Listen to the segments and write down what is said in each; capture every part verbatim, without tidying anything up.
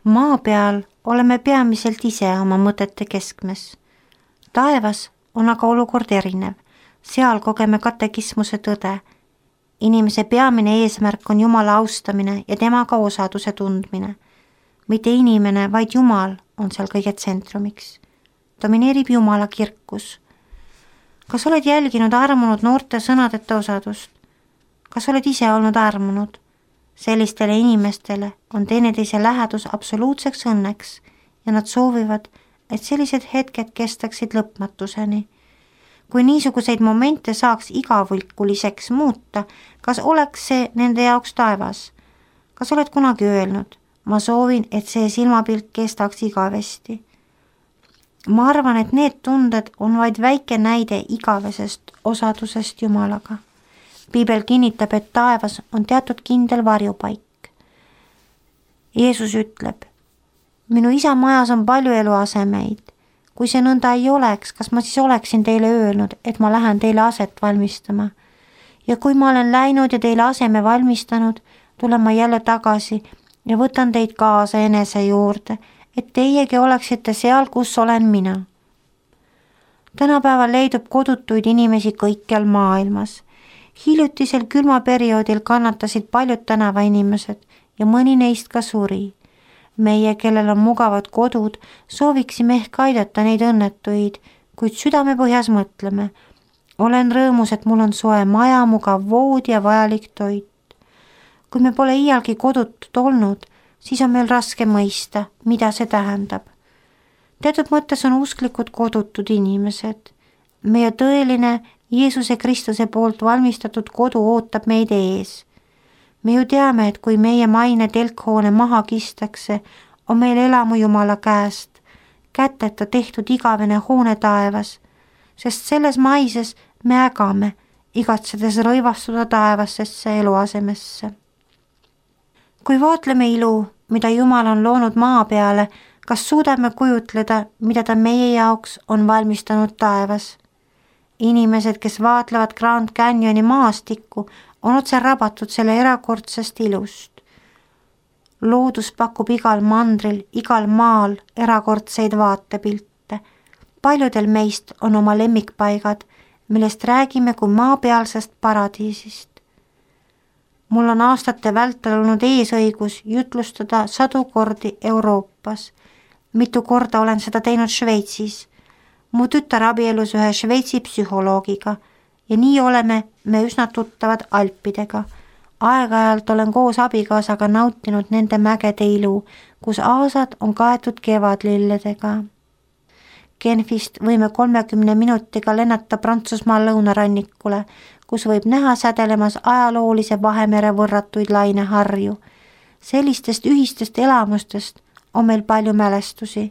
Maa peal oleme peamiselt ise oma mõtete keskmes. Taevas on aga olukord erinev. Seal kogeme katekismuse tõde. Inimese peamine eesmärk on Jumala austamine ja temaga osaduse tundmine. Mitte inimene, vaid Jumal on seal kõige tsentromiks. Domineerib Jumala kirkus. Kas oled jälginud armunud noorte sõnadeta osadust? Kas oled ise olnud armunud? Sellistele inimestele on teineteise lähedus absoluutseks õnneks ja nad soovivad, et sellised hetked kestaksid lõpmatuseni. Kui niisuguseid momente saaks igavõlkuliseks muuta, kas oleks see nende jaoks taevas? Kas oled kunagi öelnud, ma soovin, et see silmapilt kestaks igavesti? Ma arvan, et need tunded on vaid väike näide igavesest osadusest Jumalaga. Piibel kinnitab, et taevas on teatud kindel varjupaik. Jeesus ütleb, minu isa majas on palju eluasemeid. Kui see nõnda ei oleks, kas ma siis oleksin teile öelnud, et ma lähen teile aset valmistama? Ja kui ma olen läinud ja teile aseme valmistanud, tulen ma jälle tagasi ja võtan teid kaasa enese juurde, et teiegi oleksite seal, kus olen mina. Tänapäeval leidub kodutuid inimesi kõikjal maailmas. Hiljutisel külmaperioodil kannatasid paljud tänavainimesed ja mõni neist ka suri. Meie, kellel on mugavad kodud, sooviksime ehk aidata neid õnnetuid, kuid südame põhjas mõtleme. Olen rõõmus, et mul on soe maja, mugav voodi ja vajalik toit. Kui me pole iialgi kodutud olnud, siis on meil raske mõista, mida see tähendab. Teatud mõttes on usklikud kodutud inimesed. Meie tõeline Jeesuse Kristuse poolt valmistatud kodu ootab meid ees. Me ju teame, et kui meie maine telkhoone maha kistakse, on meil elamu Jumala käest, käteta tehtud igavene hoone taevas, sest selles maises me ägame, igatsedes rõivastuda taevassesse eluasemesse. Kui vaatleme ilu, mida Jumal on loonud maa peale, kas suudame kujutleda, mida ta meie jaoks on valmistanud taevas? Inimesed, kes vaatlevad Grand Canyoni maastikku, on otse rabatud selle erakordsest ilust. Loodus pakub igal mandril, igal maal erakordseid vaatepilte. Paljudel meist on oma lemmikpaigad, millest räägime kui maapealsest paradiisist. Mul on aastate vältel olnud eesõigus jutlustada sadu kordi Euroopas. Mitu korda olen seda teinud Šveitsis. Mu tütar abielus ühe Šveitsi psühholoogiga ja nii oleme me üsna tuttavad Alpidega. Aeg-ajalt olen koos abikaasaga nautinud nende mägede ilu, kus aasad on kaetud kevadlilledega. Genfist võime kolmekümne minutiga lennata Prantsusmaa lõunarannikule, kus võib näha sädelemas ajaloolise Vahemere võrratuid laineharju. Sellistest ühistest elamustest on meil palju mälestusi.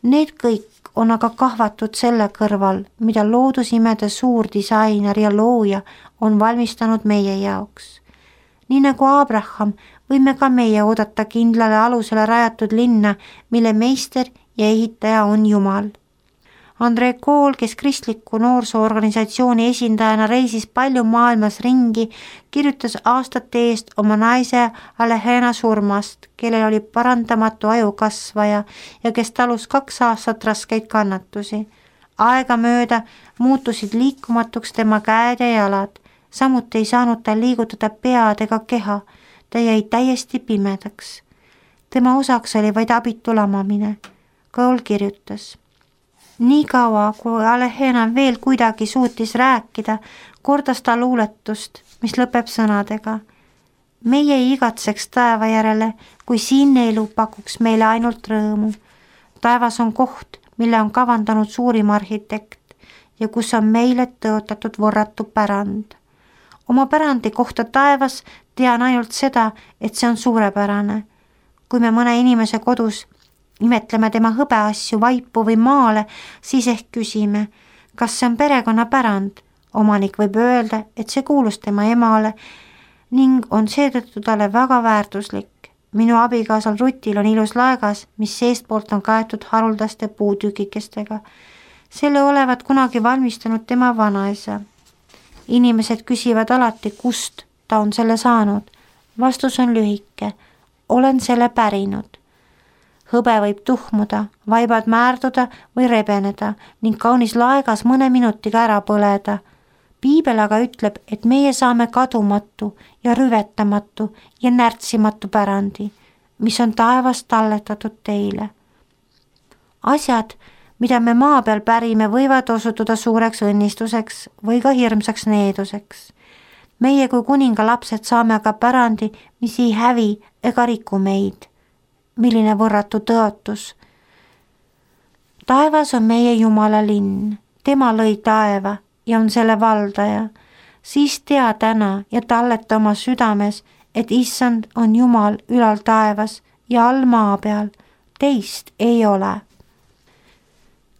Need kõik on aga kahvatud selle kõrval, mida loodusimede suur disainer ja looja on valmistanud meie jaoks. Nii nagu Abraham, võime ka meie oodata kindlale alusele rajatud linna, mille meister ja ehitaja on Jumal. Andrei Kool, kes kristliku noorsoorganisatsiooni esindajana reisis palju maailmas ringi, kirjutas aastate eest oma naise Alehena surmast, kellel oli parandamatu ajukasvaja ja kes talus kaks aastat raskeid kannatusi. Aega mööda muutusid liikumatuks tema käed ja jalad, samuti ei saanud ta liigutada pead ega keha, ta jäi täiesti pimedaks. Tema osaks oli vaid abitu lamamine. Kool kirjutas. Nii kaua, kui Alehena veel kuidagi suutis rääkida, kordas ta luuletust, mis lõpeb sõnadega. Meie ei igatseks taeva järele, kui siinne elu pakuks meile ainult rõõmu. Taevas on koht, mille on kavandanud suurim arhitekt ja kus on meile tõotatud võrratu pärand. Oma pärandi kohta taevas tean ainult seda, et see on suurepärane. Kui me mõne inimese kodus imetleme tema hõbeasju, vaipu või maale, siis ehk küsime, kas see on perekonnapärand. Omanik võib öelda, et see kuulus tema emale ning on seetõttu talle väga väärtuslik. Minu abikaasal Rutil on ilus laegas, mis seestpoolt on kaetud haruldaste puutükikestega. Selle olevat kunagi valmistanud tema vanaisa. Inimesed küsivad alati, kust ta on selle saanud. Vastus on lühike. Olen selle pärinud. hõbe võib tuhmuda, vaibad määrduda või rebeneda ning kaunis laegas mõne minutiga ära põleda. Piibel aga ütleb, et meie saame kadumatu ja rüvetamatu ja närtsimatu pärandi, mis on taevast talletatud teile. Asjad, mida me maa peal pärime, võivad osutuda suureks õnnistuseks või ka hirmsaks needuseks. Meie kui kuninga lapsed saame aga pärandi, mis ei hävi ega riku meid. Milline võrratu tõotus. Taevas on meie Jumala linn, tema lõi taeva ja on selle valdaja. Siis tea täna ja talleta oma südames, et issand on Jumal ülal taevas ja all maa peal, teist ei ole.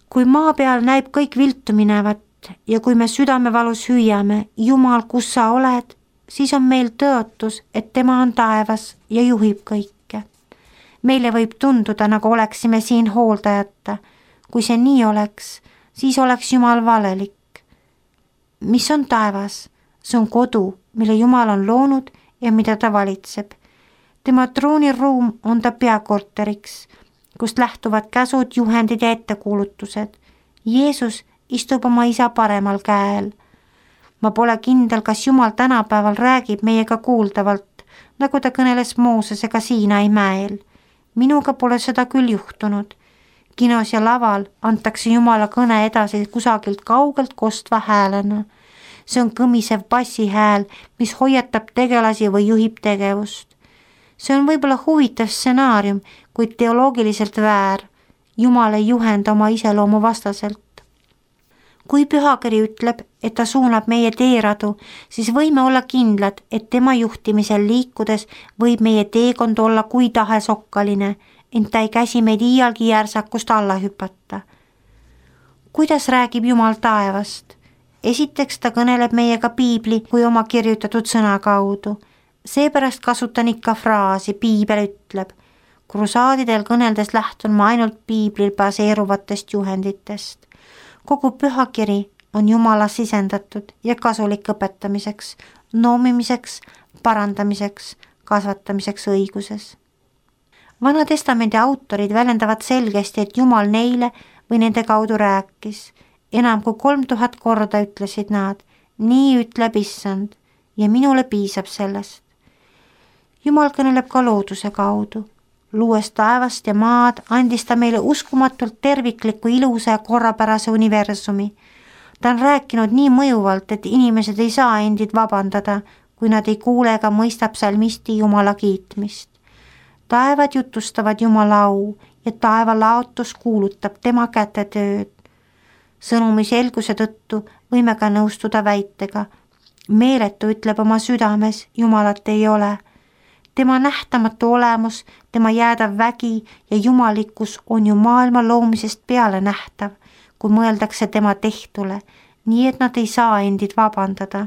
Kui maa peal näib kõik viltu minevat ja kui me südamevalus hüüame, Jumal, kus sa oled, siis on meil tõotus, et tema on taevas ja juhib kõike. Meile võib tunduda, nagu oleksime siin hooldajata. Kui see nii oleks, siis oleks Jumal valelik. Mis on taevas? See on kodu, mille Jumal on loonud ja mida ta valitseb. Tema trooniruum on ta peakorteriks, kust lähtuvad käsud, juhendid ja ettekuulutused. Jeesus istub oma isa paremal käel. Ma pole kindel, kas Jumal tänapäeval räägib meiega kuuldavalt, nagu ta kõneles Moosesega Siinai mäel. Minuga pole seda küll juhtunud. Kinos ja laval antakse Jumala kõne edasi kusagilt kaugelt kostva häälena. See on kõmisev bassihääl, mis hoiatab tegelasi või juhib tegevust. See on võib-olla huvitav stsenaarium, kuid teoloogiliselt väär. Jumal ei juhenda oma iseloomu vastaselt. Kui pühakiri ütleb, et ta suunab meie teeradu, siis võime olla kindlad, et tema juhtimisel liikudes võib meie teekond olla kui tahes okkaline, ent ta ei käsi meid iialgi järsakust alla hüpata. Kuidas räägib Jumal taevast? Esiteks ta kõneleb meiega piibli kui oma kirjutatud sõna kaudu. Seepärast kasutan ikka fraasi, piibel ütleb. Krusaadidel kõneldes lähtun ma ainult piiblil baseeruvatest juhenditest. Kogu pühakiri on Jumala sisendatud ja kasulik õpetamiseks, noomimiseks, parandamiseks, kasvatamiseks õiguses. Vana testamendi autorid väljendavad selgesti, et Jumal neile või nende kaudu rääkis. Enam kui kolm tuhat korda ütlesid nad, nii ütleb issand ja minule piisab sellest. Jumal kõneleb ka looduse kaudu. Luues taevast ja maad, andis ta meile uskumatult tervikliku, ilusa ja korrapärase universumi. Ta on rääkinud nii mõjuvalt, et inimesed ei saa endid vabandada, kui nad ei kuule ega mõista psalmisti Jumala kiitmist. Taevad jutustavad Jumala au ja taeva laotus kuulutab tema käte tööd. Sõnumi selguse tõttu võime ka nõustuda väitega. Meeletu ütleb oma südames, Jumalat ei ole. Tema nähtamatu olemus, tema jäädav vägi ja jumalikkus on ju maailma loomisest peale nähtav, kui mõeldakse tema tehtule, nii et nad ei saa endid vabandada.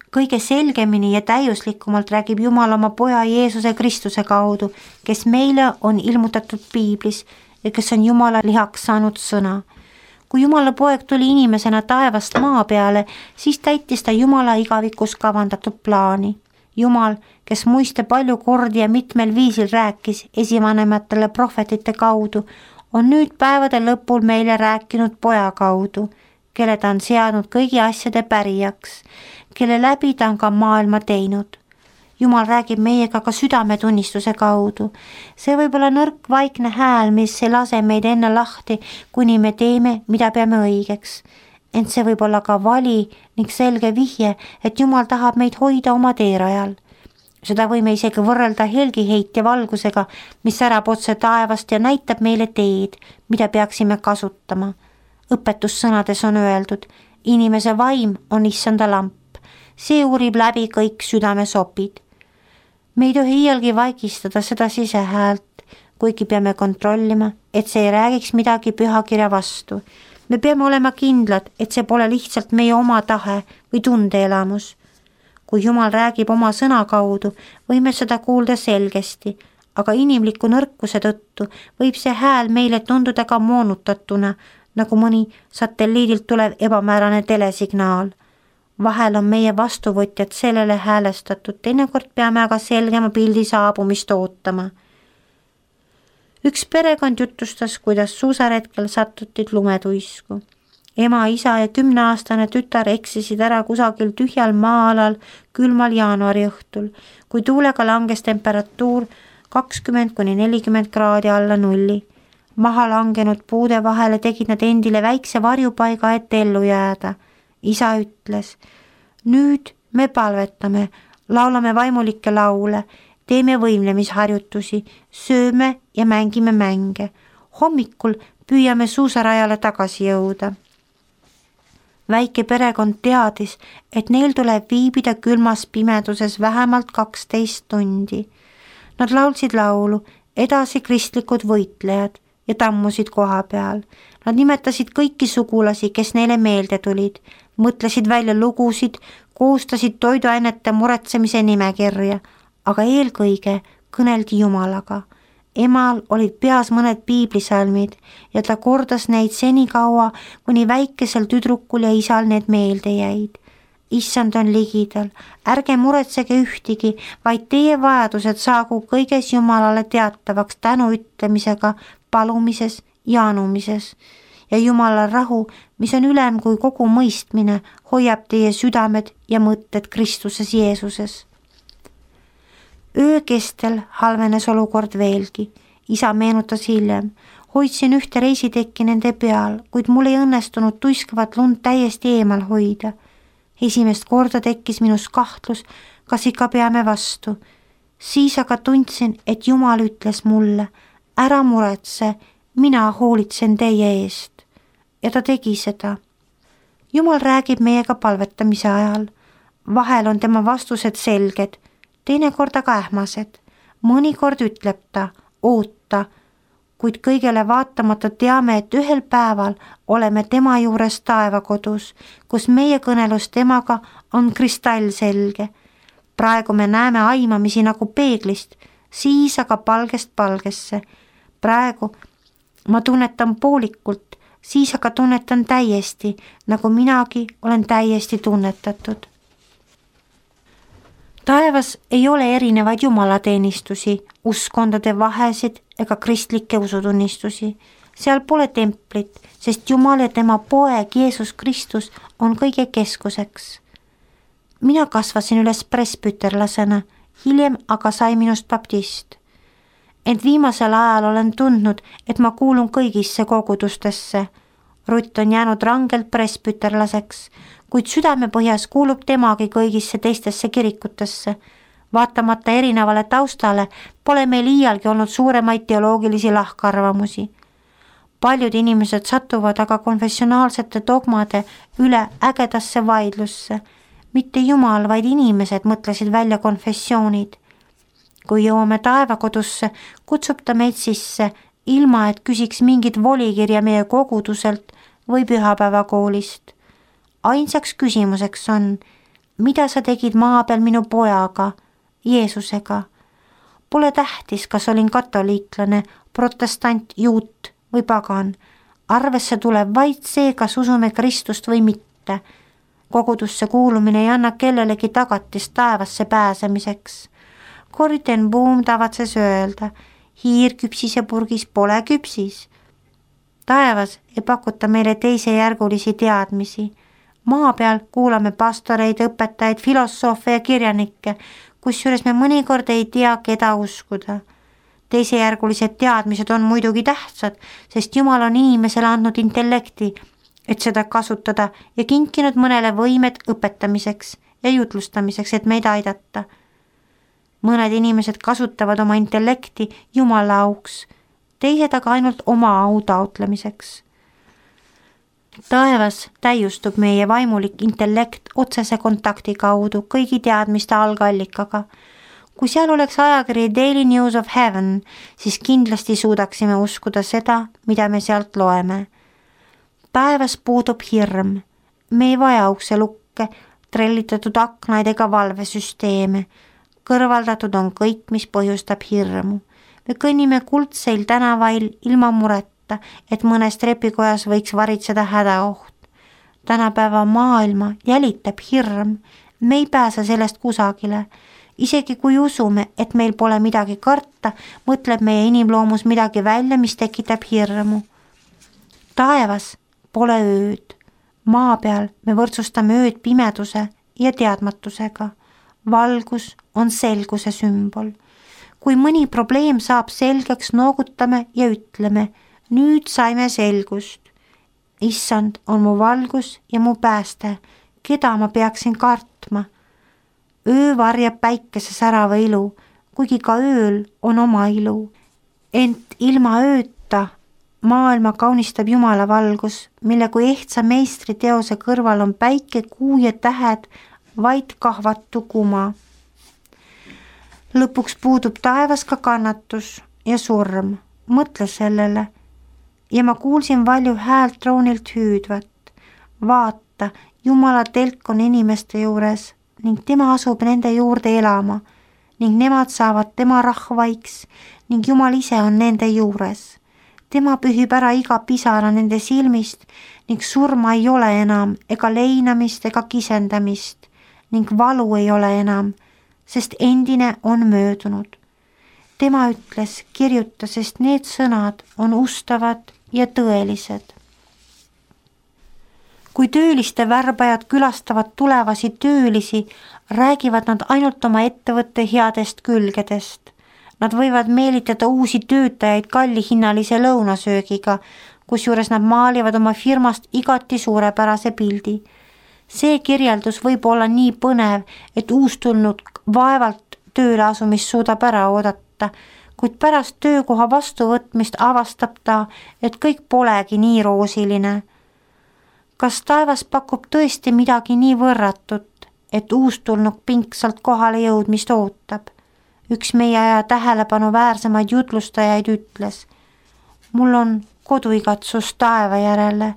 Kõige selgemini ja täiuslikumalt räägib Jumal oma poja Jeesuse Kristuse kaudu, kes meile on ilmutatud piiblis ja kes on Jumala lihaks saanud sõna. Kui Jumala poeg tuli inimesena taevast maa peale, siis täitis ta Jumala igavikus kavandatud plaani. Jumal, kes muiste palju kordi ja mitmel viisil rääkis esivanematele prohvetite kaudu, on nüüd päevade lõpul meile rääkinud poja kaudu, kelle ta on seadnud kõigi asjade pärijaks, kelle läbi ta on ka maailma teinud. Jumal räägib meiega ka südametunnistuse kaudu. See võib olla nõrk vaikne hääl, mis ei lase meid enne lahti, kuni me teeme, mida peame õigeks. Ent see võib olla ka vali ning selge vihje, et Jumal tahab meid hoida oma teerajal. Seda võime isegi võrrelda helgiheitja valgusega, mis särab otse taevast ja näitab meile teed, mida peaksime kasutama. Õpetussõnades on öeldud, inimese vaim on issanda lamp. See uurib läbi kõik südame sopid. Me ei tohi iialgi vaikistada seda sisehäält, kuigi peame kontrollima, et see ei räägiks midagi pühakirja vastu. Me peame olema kindlad, et see pole lihtsalt meie oma tahe või tundeelamus. Kui Jumal räägib oma sõna kaudu, võime seda kuulda selgesti, aga inimliku nõrkuse tõttu võib see hääl meile tunduda ka moonutatuna, nagu mõni satelliidilt tulev ebamäärane telesignaal. Vahel on meie vastuvõtjad sellele häälestatud, teinekord peame aga selgema pildi saabumist ootama. üks perekond jutustas, kuidas suusaretkel sattusid lumetuisku. ema, isa ja kümneaastane tütar eksisid ära kusagil tühjal maa-alal külmal jaanuari õhtul, kui tuulega langes temperatuur kakskümmend kuni nelikümmend kraadi alla nulli. maha langenud puude vahele tegid nad endile väikse varjupaiga, et ellu jääda. isa ütles, nüüd me palvetame, laulame vaimulikke laule, teeme võimlemisharjutusi, sööme ja mängime mänge. hommikul püüame suusarajale tagasi jõuda. väike perekond teadis, et neil tuleb viibida külmas pimeduses vähemalt kaksteist tundi. Nad laulsid laulu, edasi kristlikud võitlejad ja tammusid koha peal. Nad nimetasid kõiki sugulasi, kes neile meelde tulid, mõtlesid välja lugusid, koostasid toiduainete muretsemise nimekirja, aga eelkõige kõneldi Jumalaga. emal olid peas mõned piiblisalmid ja ta kordas neid senikaua, kuni väikesel tüdrukul ja isal need meelde jäid. issand on ligidal, ärge muretsege ühtigi, vaid teie vajadused saagu kõiges Jumalale teatavaks tänu ütlemisega, palumises ja anumises. ja Jumala rahu, mis on ülem kui kogu mõistmine, hoiab teie südamed ja mõtted Kristuses Jeesuses. öö kestel halvenes olukord veelgi. isa meenutas hiljem, hoidsin ühte reisitekki nende peal, kuid mul ei õnnestunud tuiskavat lund täiesti eemal hoida. esimest korda tekkis minus kahtlus, kas ikka peame vastu. siis aga tundsin, et Jumal ütles mulle, ära muretse, mina hoolitsen teie eest. ja ta tegi seda. Jumal räägib meiega palvetamise ajal. vahel on tema vastused selged, teinekord aga ähmased. mõnikord ütleb ta, oota, kuid kõigele vaatamata teame, et ühel päeval oleme tema juures taevakodus, kus meie kõnelus temaga on kristallselge. praegu me näeme aimamisi nagu peeglist, siis aga palgest palgesse. praegu ma tunnetan poolikult, siis aga tunnetan täiesti, nagu minagi olen täiesti tunnetatud. taevas ei ole erinevaid jumalateenistusi, uskkondade vahesid ega kristlikke usutunnistusi. seal pole templit, sest Jumal ja tema poeg Jeesus Kristus on kõige keskuseks. mina kasvasin üles presbüterlasena, hiljem aga sai minust baptist. ent viimasel ajal olen tundnud, et ma kuulun kõigisse kogudustesse. Rutt on jäänud rangelt presbüterlaseks, kuid südamepõhjas kuulub temagi kõigisse teistesse kirikutesse. vaatamata erinevale taustale pole meil iialgi olnud suuremaid teoloogilisi lahkarvamusi. paljud inimesed satuvad aga konfessionaalsete dogmade üle ägedasse vaidlusse. mitte Jumal, vaid inimesed mõtlesid välja konfessioonid. kui jõuame taevakodusse, kutsub ta meid sisse, ilma et küsiks mingit volikirja meie koguduselt või pühapäevakoolist. ainsaks küsimuseks on, mida sa tegid maa peal minu pojaga, Jeesusega. Pole tähtis, kas olin katoliiklane, protestant, juut või pagan. arvesse tuleb vaid see, kas usume Kristust või mitte. kogudusse kuulumine ei anna kellelegi tagatist taevasse pääsemiseks. Corrie ten Boom tavatses öelda, hiir küpsis ja purgis pole küpsis. taevas ei pakuta meile teisejärgulisi teadmisi. maa peal kuulame pastoreid, õpetajaid, filosoofe ja kirjanikke, kusjuures me mõnikord ei tea, keda uskuda. teisejärgulised teadmised on muidugi tähtsad, sest Jumal on inimesele andnud intellekti, et seda kasutada ja kinkinud mõnele võimed õpetamiseks ja jutlustamiseks, et meid aidata. mõned inimesed kasutavad oma intellekti Jumala auks, teised aga ainult oma au taotlemiseks. taevas täiustub meie vaimulik intellekt otsese kontakti kaudu kõigi teadmiste algallikaga. kui seal oleks ajakiri Daily News of Heaven, siis kindlasti suudaksime uskuda seda, mida me sealt loeme. taevas puudub hirm, me ei vaja ukselukke, trellitatud aknaid ega valvesüsteeme. kõrvaldatud on kõik, mis põhjustab hirmu. me kõnnime kuldseil tänavail ilma mureta, et mõnes trepikojas võiks varitseda hädaoht. tänapäeva maailma jälitab hirm, me ei pääse sellest kusagile. isegi kui usume, et meil pole midagi karta, mõtleb meie inimloomus midagi välja, mis tekitab hirmu. Taevas pole ööd. Maa peal me võrdsustame ööd pimeduse ja teadmatusega. Valgus on selguse sümbol. Kui mõni probleem saab selgeks, noogutame ja ütleme, nüüd saime selgust. Issand on mu valgus ja mu pääste, keda ma peaksin kartma. Öö varjab päikese särava ilu, kuigi ka ööl on oma ilu. Ent ilma ööta maailma kaunistab Jumala valgus, mille kui ehtsa meistri teose kõrval on päike, kuu ja tähed, vaid kahvatu kuma. Lõpuks puudub taevas ka kannatus ja surm. Mõtle sellele. Ja ma kuulsin valju häält troonilt hüüdvat. Vaata, Jumala telk on inimeste juures ning tema asub nende juurde elama ning nemad saavad tema rahvaiks ning Jumal ise on nende juures. Tema pühib ära iga pisara nende silmist ning surma ei ole enam ega leinamist ega kisendamist ning valu ei ole enam, sest endine on möödunud. Tema ütles, kirjuta, sest need sõnad on ustavad ja tõelised. Kui tööliste värbajad külastavad tulevasi töölisi, räägivad nad ainult oma ettevõtte headest külgedest. Nad võivad meelitada uusi töötajaid kallihinnalise lõunasöögiga, kusjuures nad maalivad oma firmast igati suurepärase pildi. See kirjeldus võib olla nii põnev, et uustulnud vaevalt tööle asumist suudab ära oodata, kuid pärast töökoha vastuvõtmist avastab ta, et kõik polegi nii roosiline. Kas taevas pakub tõesti midagi nii võrratut, et uustulnuk pingsalt kohale jõudmist ootab? Üks meie aja tähelepanu väärsemaid jutlustajaid ütles, mul on koduigatsus taeva järele,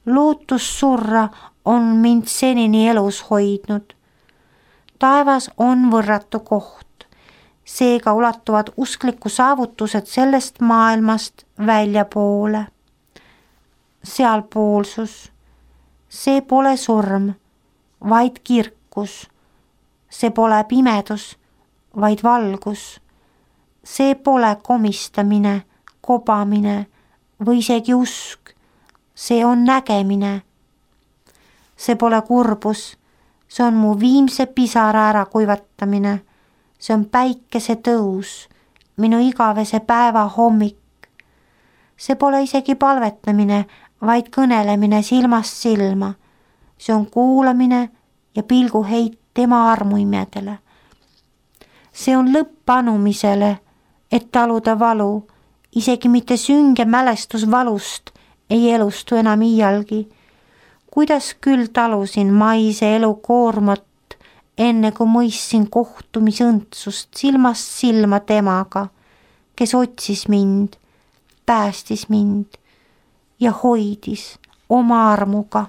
lootus surra on mind senini elus hoidnud. Taevas on võrratu koht, seega ulatuvad uskliku saavutused sellest maailmast väljapoole. Sealpoolsus, see pole surm, vaid kirkus, see pole pimedus, vaid valgus, see pole komistamine, kobamine või isegi usk, see on nägemine. See pole kurbus, see on mu viimse pisara ära kuivatamine, see on päikese tõus, minu igavese päeva hommik. See pole isegi palvetamine, vaid kõnelemine silmast silma. See on kuulamine ja pilguheit tema armuimedele. See on lõpp anumisele, et taluda valu, isegi mitte sünge mälestus valust ei elustu enam iialgi. Kuidas küll talusin maise elu koormat, enne kui mõistsin kohtumisõndsust silmast silma temaga, kes otsis mind, päästis mind ja hoidis oma armuga.